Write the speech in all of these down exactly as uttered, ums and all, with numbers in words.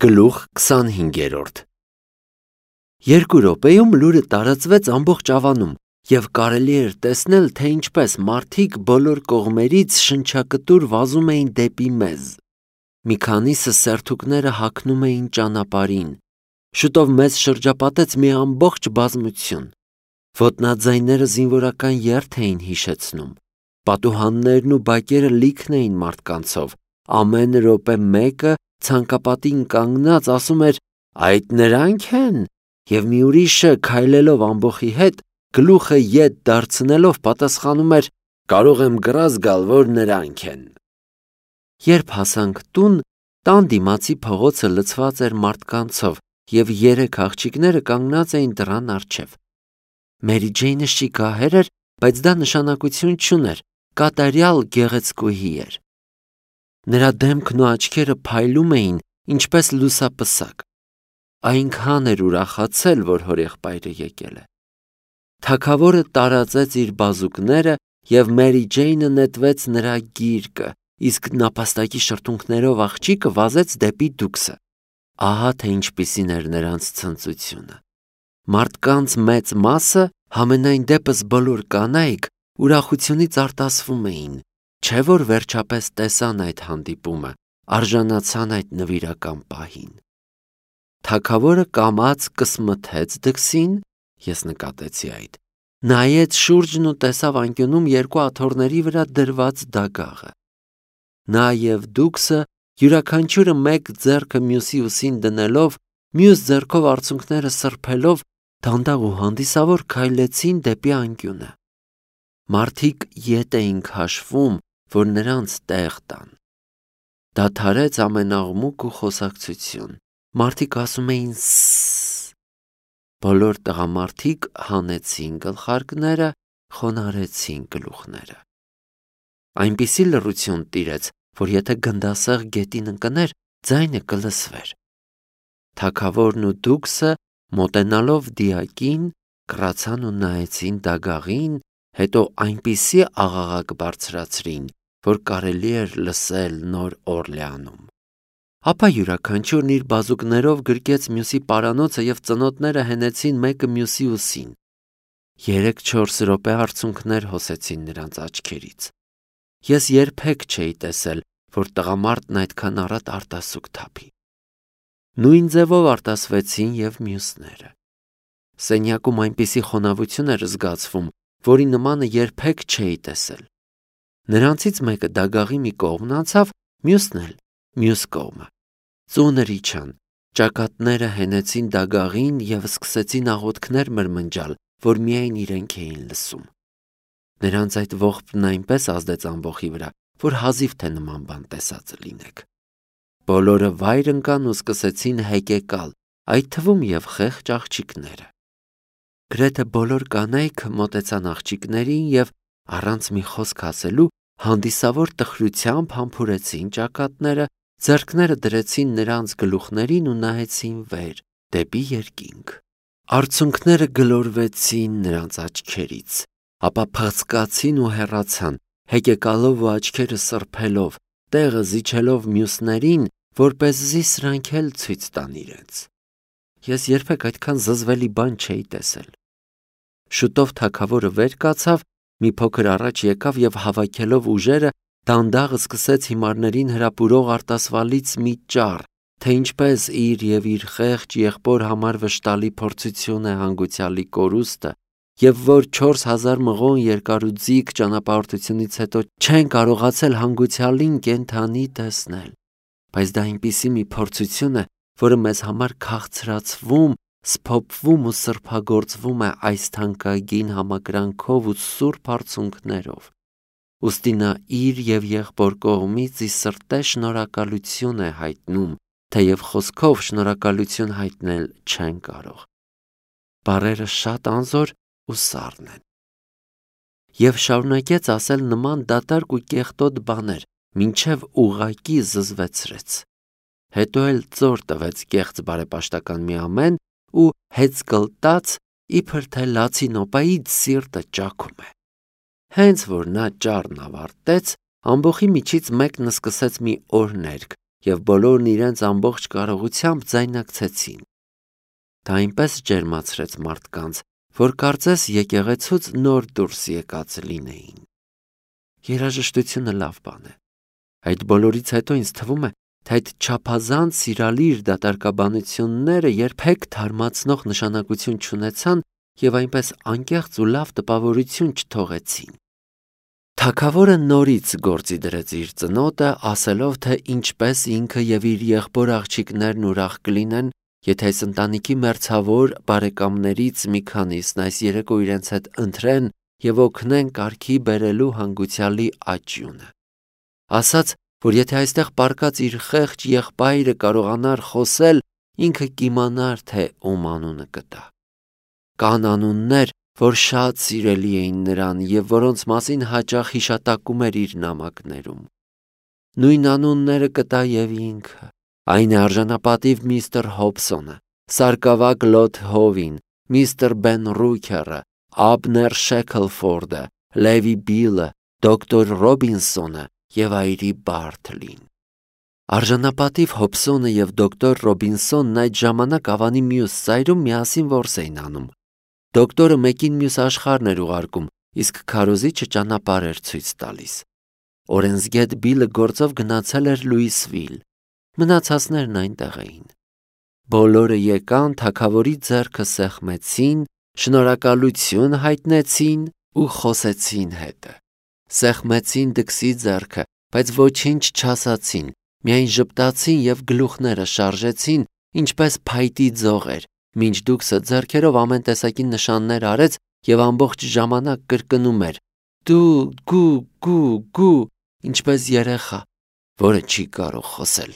Գլուխ քսանհինգերորդ Երկու րոպեում լուրը տարածվեց ամբողջ ավանում, և կարելի էր տեսնել, թե ինչպես մարդիկ բոլոր կողմերից շնչակտուր վազում էին դեպի մեզ։ Մի քանիսը սերթուկները հագնում էին ճանապարհին։ Շուտով մեզ շրջապատեց մի ամբողջ բազմություն։ Ոտնաձայները զինվորական երթ էին հիշեցնում։ Պատուհաններն ու բակերը լիքն էին մարդկանցով։ Ամեն րոպե մեկը ցանկապատին կանգնած ասում էր. «Այդ նրանք են», և մի ուրիշը քայլելով ամբոխի հետ, գլուխը ետ դարձնելով պատասխանում էր. «Կարող եմ կռ զգալ, որ նրանք են»։ Երբ հասանք տուն, տան դիմացի փողոցը լցված էր մարդկանցով, և երեք աղջիկները կանգնած էին դռան առջև։ Մերի Ջեյնը շիկահեր էր, բայց դա նշանակություն չուներ, կատարյալ գեղեցկուհի էր։ Նրա դեմքն ու աչքերը փայլում էին, ինչպես լուսապսակ։ Այնքան էր ուրախացել, որ հորեղբայրը եկել է։ Թագավորը տարածեց իր բազուկները, և Մերի Ջեյնը նետվեց նրա գիրկը, իսկ նապաստակի շրթունքներով աղջիկը վազեց դեպի դուքսը։ Ահա թե ինչպիսին էր նրանց ցնծությունը։ Մարդկանց մեծ մասը, համենայն դեպս բոլոր կանայք, ուրախությունից արտասվում էին, չէ՞ որ վերջապես տեսան այդ հանդիպումը, արժանացան այդ նվիրական պահին։ Թագավորը կամաց կսմթեց դքսին, ես նկատեցի այդ, նայեց շուրջն ու տեսավ անկյունում երկու աթոռների վրա դրված դագաղը։ Նա և դուքսը յուրաքանչյուրը մեկ ձեռքը մյուսի ուսին դնելով, մյուս ձեռքով արցունքները սրբելով, դանդաղ ու հանդիսավոր քայլեցին դեպի անկյունը։ Մարդիկ ետ էին քաշվում, որ նրանց տեղ տան։ Դադարեց ամեն աղմուկ ու խոսակցություն։ Մարդիկ ասում էին «սսս»։ Բոլոր տղամարդիկ հանեցին գլխարկները, խոնարհեցին գլուխները։ Այնպիսի լռություն տիրեց, որ եթե գնդասեղ գետին ընկներ, ձայնը կլսվեր։ Թագավորն ու դուքսը, մոտենալով դիակին, կռացան ու նայեցին դագաղին, հետո այնպիսի աղաղակ բարձրացրին, որ կարելի էր լսել Նոր Օրլեանում։ Ապա յուրաքանչյուրն իր բազուկներով գրկեց մյուսի պարանոցը և ծնոտները հենեցին մեկը մյուսի ուսին։ Երեք-չորս րոպե արցունքներ հոսեցին նրանց աչքերից։ Ես երբեք չէի տեսել, որ տղամարդն այդքան առատ արտասուք թափի։ Նույն ձևով արտասվեցին և մյուսները։ Սենյակում այնպիսի խոնավություն էր զգացվում, որի նմանը երբեք չէի տեսել։ Նրանցից մեկը դագաղի մի կողմն անցավ, մյուսն էլ մյուս կողմը։ Ծունր իջան, ճակատները հենեցին դագաղին և սկսեցին աղոթքներ մրմնջալ, որ միայն իրենք էին լսում։ Նրանց այդ ողբն այնպես ազդեց ամբոխի վրա, որ հազիվ թե նման բան տեսած լինեք։ Բոլորը վայր ընկան ու սկսեցին հեկեկալ, այդ թվում և խեղճ աղջիկները։ Գրեթե բոլոր կանայք մոտեցան աղջիկներին և, առանց մի խոսք ասելու, հանդիսավոր տխրությամբ համբուրեցին ճակատները, ձեռքները դրեցին նրանց գլուխներին ու նայեցին վեր, դեպի երկինք։ Արցունքները գլորվեցին նրանց աչքերից, ապա փղծկացին ու հեռացան, հեկեկալով ու աչքերը սրբելով, տեղը զիջելով մյուսներին, որպեսզի սրանք էլ ցույց տան իրենց։ Ես երբեք այդքան զզվելի բան չէի տեսել։ Շուտով թագավորը վեր կացավ, մի փոքր առաջ եկավ և հավաքելով ուժերը, դանդաղ սկսեց հիմարներին հրապուրող արտասվալից մի ճառ, թե ինչպես իր և իր խեղճ եղբոր համար վշտալի փորձություն է հանգուցյալի կորուստը, և որ չորս հազար մղոն երկարուձիգ ճանապարհորդությունից հետո չեն կարողացել հանգուցյալին կենդանի տեսնել։ Բայց դա այնպիսի մի փորձություն է, որը մեզ համար քաղցրացվում, սփոփվում ու սրբագործվում է այս թանկագին համակրանքով ու սուրբ արցունքներով։ Ուստի նա իր և եղբոր կողմից ի սրտե շնորհակալություն է հայտնում, թեև խոսքով շնորհակալություն հայտնել չեն կարող։ Բառերը շատ անզոր ու սառն են։ Եվ շարունակեց ասել նման դատարկ ու կեղտոտ բաներ, մինչև ուղղակի զզվեցրեց։ Հետո էլ ծոր տվեց կեղծ բարեպաշտական մի ամեն ու հեծկլտաց, իբր թե լացի նոպայից սիրտը ճաքում է։ Հենց որ նա ճառն ավարտեց, ամբոխի միջից մեկն սկսեց մի օրհներգ, և բոլորն իրենց ամբողջ կարողությամբ ձայնակցեցին։ Դա այնպես ջերմացրեց մարդկանց, որ կարծես եկեղեցուց նոր դուրս եկած լինեին։ Երաժշտությունը լավ բան է։ Այդ բոլորից հետո ինձ թվում է, թե այդ չափազանց սիրալիր դատարկաբանությունները երբեք թարմացնող նշանակություն չունեցան և այնպես անկեղծ ու լավ տպավորություն չթողեցին։ Թագավորը նորից գործի դրեց իր ծնոտը, ասելով, թե ինչպես ինքը և իր եղբոր աղջիկներն ուրախ կլինեն, եթե այս ընտանիքի մերձավոր բարեկամներից մի քանիսն այս երեկո իրենց հետ ընթրեն և օգնեն կարգի բերելու հանգուցյալի աճյունը։ Ասաց, որ եթե այստեղ պառկած իր խեղճ եղբայրը կարողանար խոսել, ինքը կիմանար, թե ում անունը կտա։ Կան անուններ, որ շատ սիրելի էին նրան և որոնց մասին հաճախ հիշատակում էր իր նամակներում։ Նույն անունները կտա և ինքը, այն է արժանապատիվ միստր Հոբսոնը, սարկավակ Լոթ Հովին, միստր Բեն Ռուքերը, Աբներ Շեքլֆորդը, Լևի Բիլը, դոկտոր Ռոբինսոնը և այրի Բարթլին։ Արժանապատիվ Հոբսոնը և դոկտոր Ռոբինսոնն այդ ժամանակ Ավանի մյուս ծայրում միասին որս էին անում։ Դոկտորը մեկին մյուս աշխարհն էր ուղարկում, իսկ քարոզիչը ճանապարհ էր ցույց տալիս։ Օրենսգետ Բիլը գործով գնացել էր Լուիսվիլ։ Մնացածներն այնտեղ էին։ Բոլորը եկան, թագավորի ձեռքը սեղմեցին, շնորհակալություն հայտնեցին ու խոսեցին հետը։ Սեղմեցին դքսի ձեռքը, բայց ոչինչ չասացին, միայն ժպտացին և գլուխները շարժեցին, ինչպես փայտի ձողեր, մինչ դուքսը ձեռքերով ամեն տեսակի նշաններ արեց և ամբողջ ժամանակ կրկնում էր. «Դու, գու, գու, գու», ինչպես երեխա, որը չի կարող խոսել։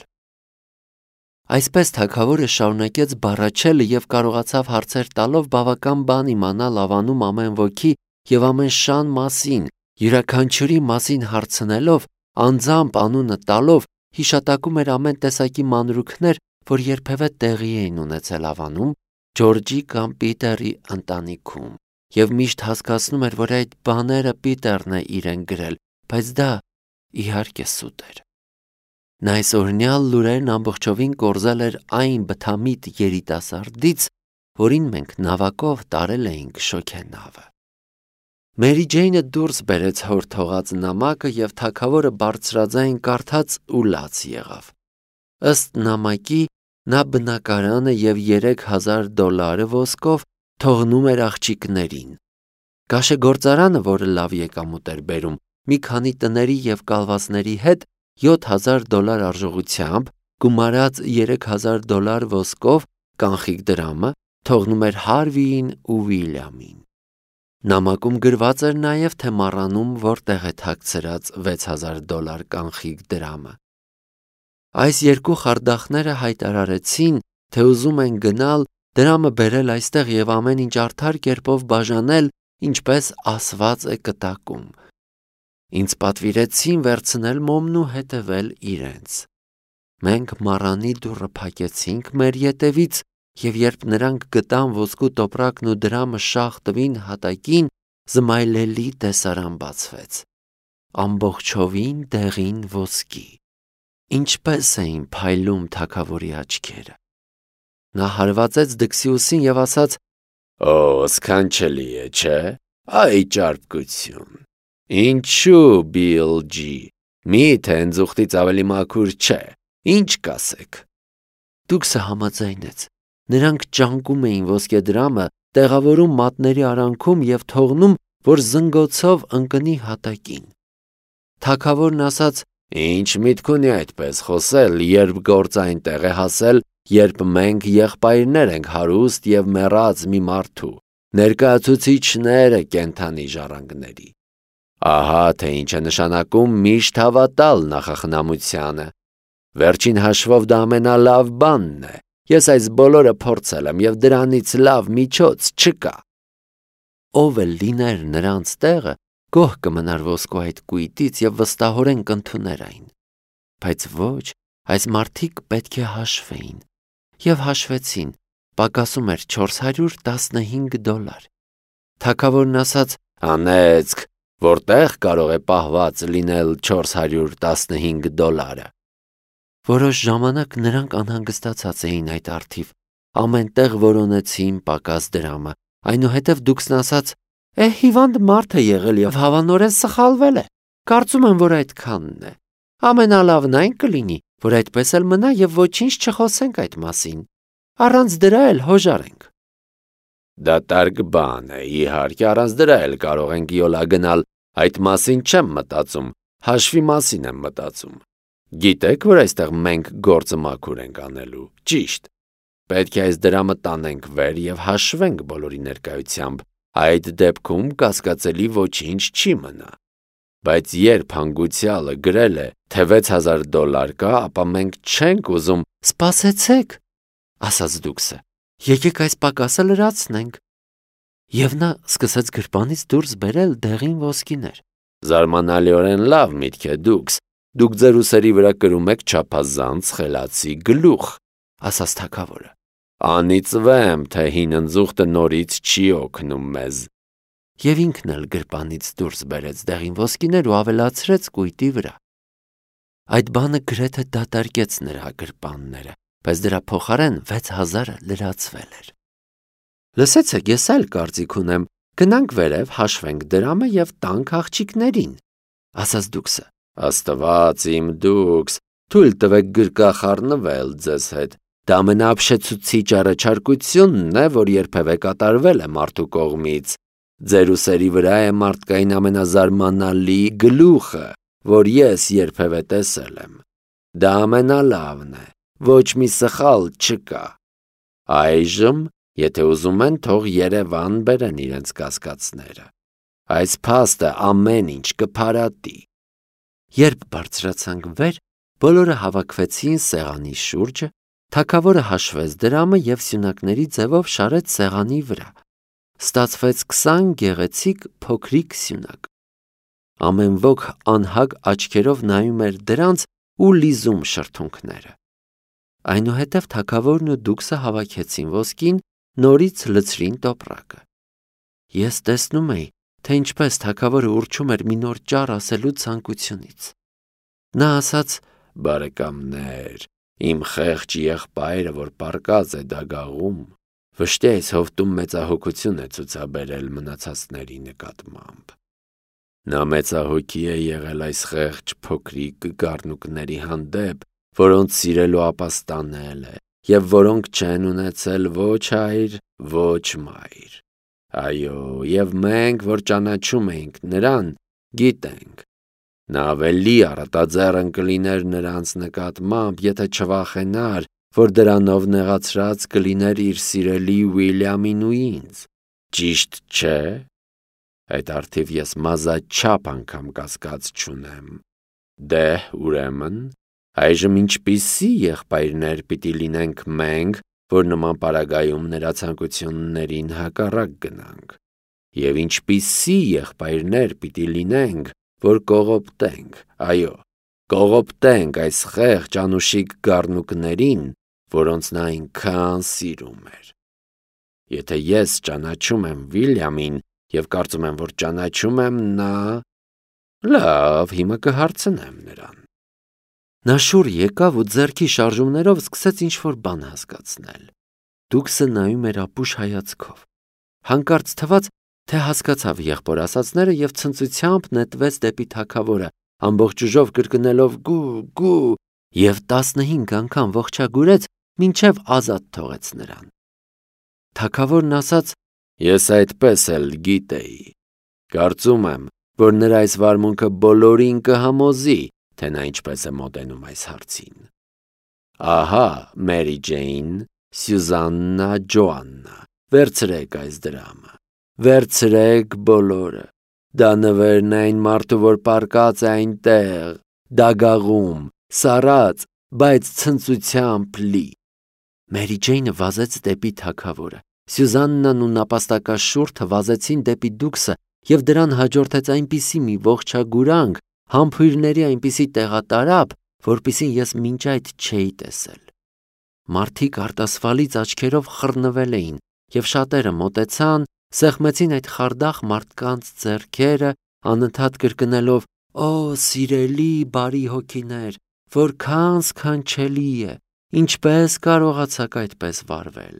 Այսպես թագավորը շարունակեց բառաչելը և կարողացավ հարցեր տալով բավական բան իմանալ Ավանում ամեն ոքի և ամեն շան մասին, յուրաքանչյուրի մասին հարցնելով, անձամբ անունը տալով, հիշատակում էր ամեն տեսակի մանրուքներ, որ երբևէ տեղի էին ունեցել Ավանում, Ջորջի կամ Պիտերի ընտանիքում, և միշտ հասկացնում էր, որ այդ բաները Պիտերն է իրեն գրել, բայց դա իհարկե սուտ էր։ Նա այս օրհնյալ լուրերն ամբողջովին կորզել էր այն բթամիտ երիտասարդից, որին մենք նավակով տարել էինք շոգենավը։ Մերի Ջեյնը դուրս բերեց հոր թողած նամակը և թագավորը բարձրաձայն կարդաց ու լաց եղավ։ Ըստ նամակի նա բնակարանը և երեք հազար դոլարը ոսկով թողնում էր աղջիկներին։ Կաշեգործարանը, որը լավ եկամուտ էր բերում, մի քանի տների և կալվածների հետ յոթ հազար դոլար արժողությամբ, գումարած երեք հազար դոլար ոսկով կանխիկ դրամը թողնում էր Հարվիին ու Վիլյամին։ Նամակում գրված էր նաև, թե մառանում որտեղ է թաքցրած վեց հազար դոլար կանխիկ դրամը։ Այս երկու խարդախները հայտարարեցին, թե ուզում են գնալ, դրամը բերել այստեղ և ամեն ինչ արդար կերպով բաժանել, ինչպես ասված է կտակում։ Ինձ պատվիրեցին վերցնել մոմն ու հետևել իրենց։ Մենք մառանի դուռը փակեցինք մեր ետևից, և երբ նրանք գտան ոսկու տոպրակն ու դրամը շաղ տվին հատակին, զմայլելի տեսարան բացվեց։ Ամբողջովին դեղին ոսկի։ Ինչպես էին փայլում թագավորի աչքերը։ Նա հարվածեց դքսի ուսին և ասաց. «Օ, սքանչելի է, չէ՞, այ ճարպկություն։ Ինչու, Բիլ Ջի, միթե ընձուղտից ավելի մաքուր չէ, ինչ կասեք»։ Դուքսը համաձայնեց։ Նրանք ճանկում էին ոսկեդրամը, տեղավորում մատների արանքում և թողնում, որ զնգոցով ընկնի հատակին։ Թագավորն ասաց. «Ինչ միտք ունի այդպես խոսել, երբ գործը այնտեղ է հասել, երբ մենք եղբայրներ ենք հարուստ և մեռած մի մարդու, ներկայացուցիչները կենդանի ժառանգների։ Ահա թե ինչ է նշանակում միշտ հավատալ նախախնամությանը։ Վերջին հաշվով դա ամենալավ բանն է։ Ես այս բոլորը փորձել եմ և դրանից լավ միջոց չկա»։ Ով էլ լիներ նրանց տեղը, գոհ կմնար ոսկու այդ կույտից և վստահորեն կընդուներ այն։ Բայց ոչ, այս մարդիկ պետք է հաշվեին։ Եվ հաշվեցին, պակասում էր չորս հարյուր տասնհինգ դոլար։ Թագավորն ասաց. «Անեծք, որտեղ կարող է պահված լինել չորս հարյուր տասնհինգ դոլարը»։ Որոշ ժամանակ նրանք անհանգստացած էին այդ առթիվ, ամենտեղ որոնեցին պակաս դրամը, այնուհետև Դուքսն ասաց. «Է, հիվանդ մարդ է եղել և հավանորեն սխալվել է, կարծում եմ, որ այդքանն է, ամենալավն այն կլինի, որ այդպես էլ մնա և ոչինչ չխոսենք այդ մասին, առանց դրա էլ հոժարենք»։ Դատարկ բան է, իհարկե, առանց դրա էլ կարող ենք յոլա գնալ, այդ մասին չեմ մտածում, հաշվի մասին եմ մտածում։ Գիտեք, որ այստեղ մենք գործը մաքուր ենք անելու, ճիշտ։ Պետք է այս դրամը տանենք վեր և հաշվենք բոլորի ներկայությամբ, այդ դեպքում կասկածելի ոչինչ չի մնա։ Բայց երբ հանգուցյալը գրել է, թե վեց հազար դոլար կա, ապա մենք չենք ուզում։ «Սպասեցեք», ասաց Դուքսը, «եկեք այս պակասը լրացնենք»։ Եվ նա սկսեց գրպանից դուրս բերել դեղին ոսկիներ։ Զարմանալիորեն լավ միտք է, Դուքս, դուք ձեր ուսերի վրա կրում եք չափազանց խելացի գլուխ, ասաց թագավորը։ Անիծվեմ, թե հին ընձուղտը նորից չի օգնում մեզ։ Եվ ինքն էլ գրպանից դուրս բերեց դեղին ոսկիներ ու ավելացրեց կույտի վրա։ Այդ բանը գրեթե դատարկեց նրա գրպանները, բայց դրա փոխարեն վեց հազարը լրացվել էր։ Լսեցեք, ես այլ կարծիք ունեմ, գնանք վերև, հաշվենք դրամը և տանք աղջիկներին, ասաց Դուքսը։ Աստված իմ Դուքս, թույլ տվեք գրկախառնվել ձեզ հետ։ Դա ամենաապշեցուցիչ առաջարկությունն է, որ երբևէ կատարվել է մարդու կողմից։ Ձեր ուսերի վրա է մարդկային ամենազարմանալի գլուխը, որ ես երբևէ տեսել եմ։ Դա ամենալավն է, ոչ մի սխալ չկա։ Այժմ, եթե ուզում են, թող Երևան բերեն իրենց կասկածները։ Այս փաստը ամեն ինչ կփարատի։ Երբ բարձրացանք վեր, բոլորը հավաքվեցին սեղանի շուրջը, թագավորը հաշվեց դրամը և սյունակների ձևով շարեց սեղանի վրա։ Ստացվեց քսան գեղեցիկ փոքրիկ սյունակ։ Ամեն ոք անհագ աչքերով նայում էր դրանց ու լիզում շրթունքները։ Այնուհետև թագավորն ու Դուքսը հավաքեցին ոսկին, նորից լցրին տոպրակը։ Ես տեսնում էի, թե ինչպես թագավորը ուռչում էր մի նոր ճառ ասելու ցանկությունից։ Նա ասաց. «Բարեկամներ, իմ խեղճ եղբայրը, որ պառկած է դագաղում, վշտի այս հովտում մեծահոգություն է ցուցաբերել մնացածների նկատմամբ։ Նա մեծահոգի է եղել այս խեղճ փոքրիկ գառնուկների հանդեպ, որոնց սիրել ու ապաստանել է, և որոնք չեն ունեցել ոչ հայր, ոչ մայր։ Այո, և մենք, որ ճանաչում էինք նրան, գիտենք։ Նա ավելի առատաձեռն կլիներ նրանց նկատմամբ, եթե չվախենար, որ դրանով նեղացրած կլիներ իր սիրելի Ուիլյամին ու ինձ։ Ճիշտ չէ՞։ Այդ առթիվ ես մազաչափ անգամ կասկած չունեմ։ Դե, ուրեմն, այժմ ինչպիսի եղբայրներ պիտի լինենք մենք, որ նման պարագայում նրա ցանկություններին հակառակ գնանք, և ինչպիսի եղբայրներ պիտի լինենք, որ կողոպտենք, այո, կողոպտենք այս խեղճ անուշիկ գառնուկներին, որոնց նա այնքան սիրում էր։ Եթե ես ճանաչում եմ Վիլյամին և կարծում եմ, որ ճանաչում եմ, նա… Լավ, հիմա կհարցնեմ նրան։ Նա շուռ եկավ ու ձեռքի շարժումներով սկսեց ինչ-որ բան հասկացնել։ Դուքսը նայում էր ապուշ հայացքով։ Հանկարծ թվաց, թե հասկացավ եղբոր ասածները և ցնծությամբ նետվեց դեպի թագավորը, ամբողջ ուժով կրկնելով «գու, գու» և տասնհինգ անգամ ողջագուրեց, մինչև ազատ թողեց նրան։ Թագավորն ասաց. «Ես այդպես էլ գիտեի։ Կարծում եմ, որ նրա այս վարմունքը բոլորին կհամոզի, թե նա ինչպես է մոտենում այս հարցին։ Ահա, Մերի Ջեյն, Սյուզաննա, Ջոաննա, վերցրեք այս դրամը, վերցրեք բոլորը։ Դա նվերն է այն մարդու, որ պառկած է այնտեղ, դագաղում, սառած, բայց ցնծությամբ լի»։ Մերի Ջեյնը վազեց դեպի թագավորը։ Սյուզաննան ու նապաստակաշուրթը վազեցին դեպի Դուքսը, և դրան հաջորդեց այնպիսի մի ողջագուրանք, համբույրների այնպիսի տեղատարափ, որպիսին ես մինչ այդ չէի տեսել։ Մարդիկ արտասվալից աչքերով խռնվել էին, և շատերը մոտեցան, սեղմեցին այդ խարդախ մարդկանց ձեռքերը, անընդհատ կրկնելով. «Օ, սիրելի, բարի հոգիներ, Որքան սքանչելի է, ինչպես կարողացաք այդպես վարվել։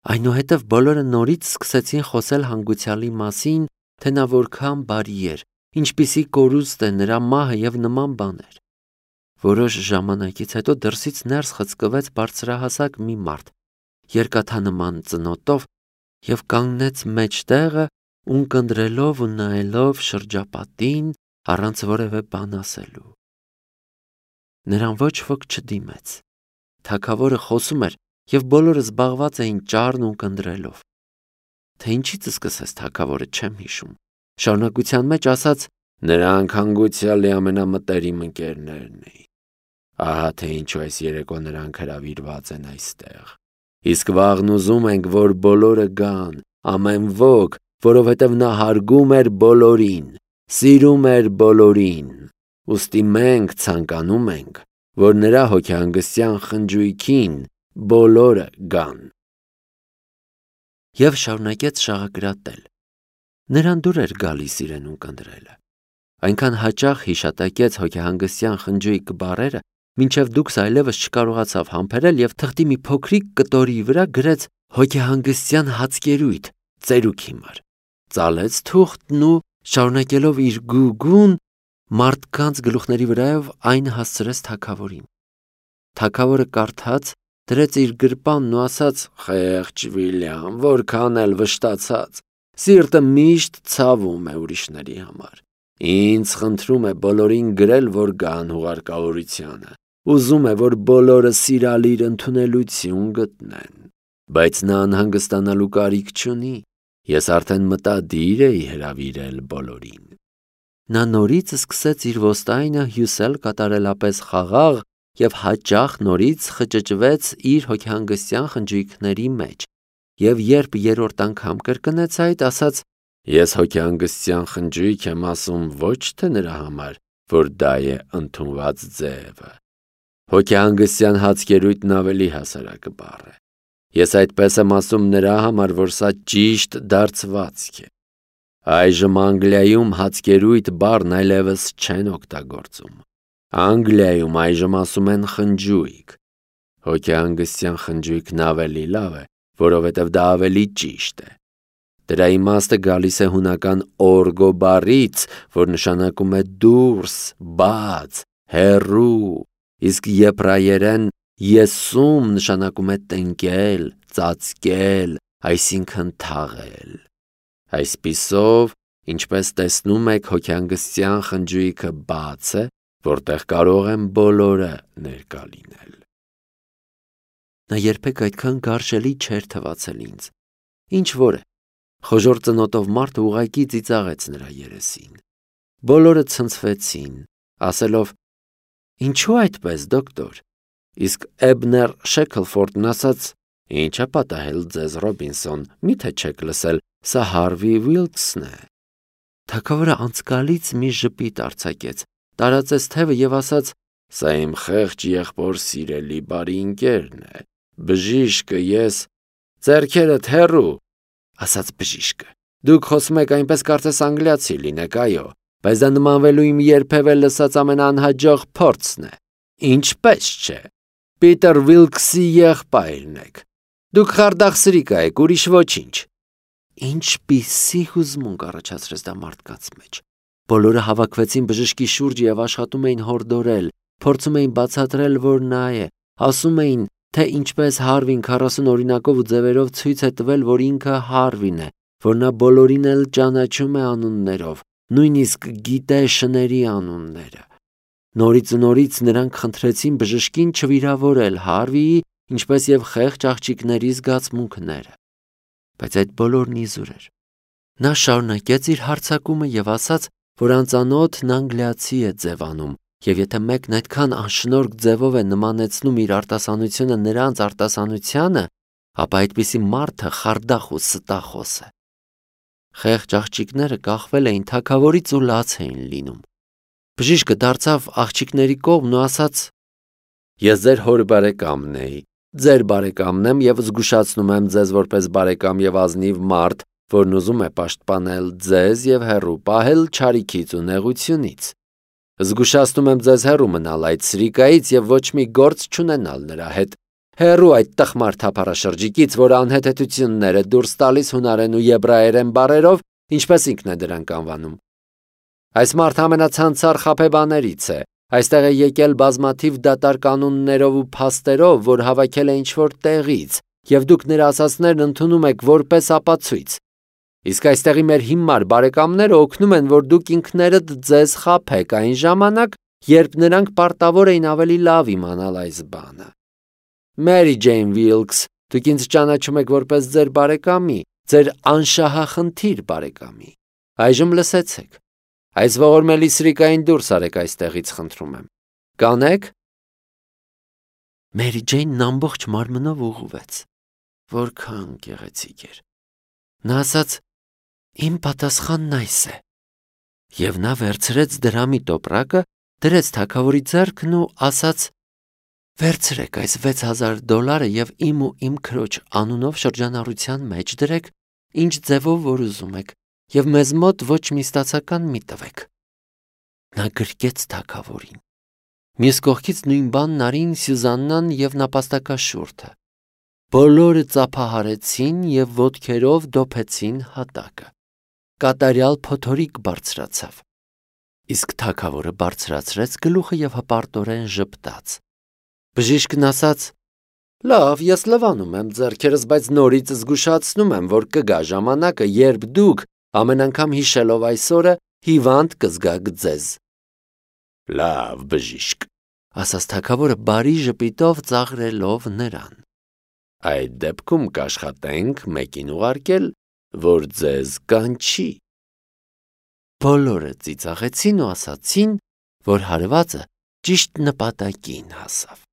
Այնուհետև բոլորը նորից սկսեցին խոսել հանգուցյալի մասին, թե նա որքան բարի էր, ինչպիսի կորուստ է նրա մահը եւ նման բաներ։ Որոշ ժամանակից հետո դրսից ներս խցկվեց բարձրահասակ մի մարդ, երկաթանման ծնոտով եւ կանգնեց մեջտեղը, ունկնդրելով ու նայելով շրջապատին առանց որևէ բան ասելու։ Նրան ոչ ոք չդիմեց։ Թագավորը խոսում էր եւ բոլորը զբաղված էին ճառն ունկնդրելով։ Թե ինչից սկսեց թագավորը չեմ հիշում։ Շարունակության մեջ ասաց. Նրանք հանգուցյալի ամենամտերիմ ընկերներն էին։ Ահա թե ինչու այս երեկո նրանք հրավիրված են այստեղ։ Իսկ վաղն ուզում ենք, որ բոլորը գան, ամեն ոք, որովհետև նա հարգում էր բոլորին, սիրում էր բոլորին։ Ուստի մենք ցանկանում ենք, որ նրա հոգեհանգստյան խնջույքին բոլորը գան։ Եվ շարունակեց շաղակրատել։ Նրան դուր էր գալիս իրեն ունկնդրելը։ Այնքան հաճախ հիշատակեց հոգեհանգստյան խնջույք բառերը, մինչև դուքս այլևս չկարողացավ համբերել եւ թղթի մի փոքրիկ կտորի վրա գրեց հոգեհանգստյան հացկերույթ, ծերուկ հիմար։ Ծալեց թուղթն ու շարունակելով իր գուգուն մարդկանց գլուխների վրայով այն հասցրեց թագավորին։ Թագավորը կարդաց, դրեց իր գրպանն ու ասաց. Խեղճ Վիլյամ, որքան էլ վշտացած, սիրտը միշտ ցավում է ուրիշների համար։ Ինձ խնդրում է բոլորին գրել, որ գան հուղարկավորությանը։ Ուզում է, որ բոլորը սիրալիր ընդունելություն գտնեն, բայց նա անհանգստանալու կարիք չունի։ Ես արդեն մտադիր էի հրավիրել բոլորին։ Նա նորից սկսեց իր ոստայնը հյուսել կատարելապես խաղաղ եւ հաճախ նորից խճճվեց իր հոգեհանգստյան խնջույքների մեջ, եւ երբ երրորդ անգամ կրկնեց այդ, ասաց. Ես հոգեհանգստյան խնջույք եմ ասում ոչ թե նրա համար, որ դա է ընդունված ձևը։ Հոգեհանգստյան հացկերույթն ավելի հասարակ բառ է։ Ես այդպես եմ ասում նրա համար, որ սա ճիշտ դարձվածք է։ Այժմ Անգլիայում հացկերույթ բառն այլևս չեն օգտագործում։ Անգլիայում այժմ ասում են խնջույք։ Հոգեհանգստյան խնջույքն ավելի լավ է, որովհետև դա ավելի ճիշտ է։ Դրա իմաստը գալիս է հունական օրգո բառից, որ նշանակում է դուրս, բաց, հեռու, իսկ եբրայերեն եսում նշանակում է տնկել, ծածկել, այսինքն թաղել։ Այսպիսով, ինչպես տեսնում եք, հոգեհանգստյան խնջույքը բաց է, որտեղ կարող են բոլորը ներկա լինել։ Նա երբեք այդքան գարշելի չէր թվացել ինձ։ Ինչ որ է, խոժոր ծնոտով մարդը ուղղակի ծիծաղեց նրա երեսին։ Բոլորը ցնցվեցին, ասելով. Ինչու այդպես, դոկտոր։ Իսկ Էբներ Շեքլֆորդն ասաց. Ինչ է պատահել ձեզ, Ռոբինսոն, միթե չեք լսել, սա Հարվի Վիլքսն է։ Թագավորը անցկալից մի ժպիտ արձակեց, տարածեց թևը եւ ասաց. Սա իմ խեղճ եղբոր սիրելի բարի ընկերն է։ Բժիշկը ես ձեռքերդ հեռու, ասաց բժիշկը։ Դուք խոսում եք այնպես կարծես անգլիացի լինեք, այո, բայց դա նմանվելու իմ երբևէ լսած ամենաանհաջող փորձն է։ Ինչպես չէ։ Պիտեր Վիլքսի եղբայրն եք։ Դուք խարդախսրիկա եք, ուրիշ ոչինչ։ Ինչպիսի հուզմունք առաջացրեց դա մարդկանց մեջ։ Բոլորը հավաքվեցին բժշկի շուրջը եւ աշխատում էին հորդորել, փորձում էին բացատրել, որ նա է, ասում էին, թե ինչպես Հարվին քառասուն օրինակով ու ձևերով ցույց է տվել, որ ինքը Հարվին է, որ նա բոլորին էլ ճանաչում է անուններով, նույնիսկ գիտե շների անունները։ Նորից ու նորից նրանք խնդրեցին բժշկին չվիրավորել Հարվիի, ինչպես եւ խեղճ աղջիկների զգացմունքները։ Բայց այդ բոլորն իզուր էր։ Նա շարունակեց իր հարձակումը եւ ասաց, որ անծանոթն անգլիացի է ձևանում, եւ եթե մեկն այդքան անշնորհք ձևով է նմանեցնում իր արտասանությունը նրանց արտասանությանը, ապա այդպիսի մարդը խարդախ ու ստախոս է։ Խեղճ աղջիկները կախվել էին թագավորից ու լաց էին լինում։ Բժիշկը դարձավ աղջիկների կողմն ու ասաց. Ես ձեր հոր բարեկամն էի, ձեր բարեկամն եմ եւ զգուշացնում եմ ձեզ որպես բարեկամ եւ ազնիվ մարդ, որն ուզում է պաշտպանել ձեզ եւ հեռու պահել չարիքից ու նեղությունից։ Զգուշացնում եմ ձեզ հեռու մնալ այդ սրիկայից և ոչ մի գործ չունենալ նրա հետ։ Հեռու այդ տխմար թափառաշրջիկից, որ անհեթեթություններ է դուրս տալիս հունարեն ու եբրայերեն բառերով, ինչպես ինքն է դրանք անվանում։ Այս մարդը ամենացանցառ խաբեբաներից է։ Այստեղ է եկել բազմաթիվ դատարկանուններով ու փաստերով, որ հավաքել է ինչ-որ տեղից, և դուք նրա ասածներն ընդունում եք որպես ապացույց։ Իսկ այստեղի մեր հիմար բարեկամները օգնում են, որ դուք ինքներդ ձեզ խաբեք այն ժամանակ, երբ նրանք պարտավոր էին ավելի լավ իմանալ այս բանը։ Մերի Ջեյն Վիլքս, դուք ինձ ճանաչում եք որպես ձեր բարեկամի, ձեր անշահախնդիր բարեկամի։ Այժմ լսեցեք։ Այս ողորմելի սրիկային դուրս արեք այստեղից, խնդրում եմ։ Կանեք։ Մերի Ջեյնն ամբողջ մարմնով ուղղվեց։ Որքան գեղեցիկ էր։ Նա ասաց. «Իմ պատասխանն այս է»։ Եվ նա վերցրեց դրամի տոպրակը, դրեց թագավորի ձեռքն ու ասաց. «Վերցրեք այս վեց հազար դոլարը և իմ ու իմ քրոջ անունով շրջանառության մեջ դրեք, ինչ ձևով որ ուզում եք, և մեզ մոտ ոչ մի ստացական մի տվեք»։ Նա գրկեց թագավորին։ Մյուս կողքից նույն բանն արին Սյուզաննան և նապաստակաշուրթը։ Բոլորը ծափահարեցին և ոտքերով դոփեցին հատակը։ Կատարյալ փոթորիկ բարձրացավ։ Իսկ թագավորը բարձրացրեց գլուխը և հպարտորեն ժպտաց։ Բժիշկն ասաց. «Լավ, ես լվանում եմ ձեռքերս, բայց նորից զգուշացնում եմ, որ կգա ժամանակը, երբ դուք, ամեն անգամ հիշելով այս օրը, հիվանդ կզգաք ձեզ»։ «Լավ, բժիշկ», ասաց թագավորը բարի ժպիտով ծաղրելով նրան։ «Այդ դեպքում կաշխատենք մեկին ուղարկել, որ ձեզ կանչի»։ Բոլորը ծիծաղեցին ու ասացին, որ հարվածը ճիշտ նպատակին հասավ։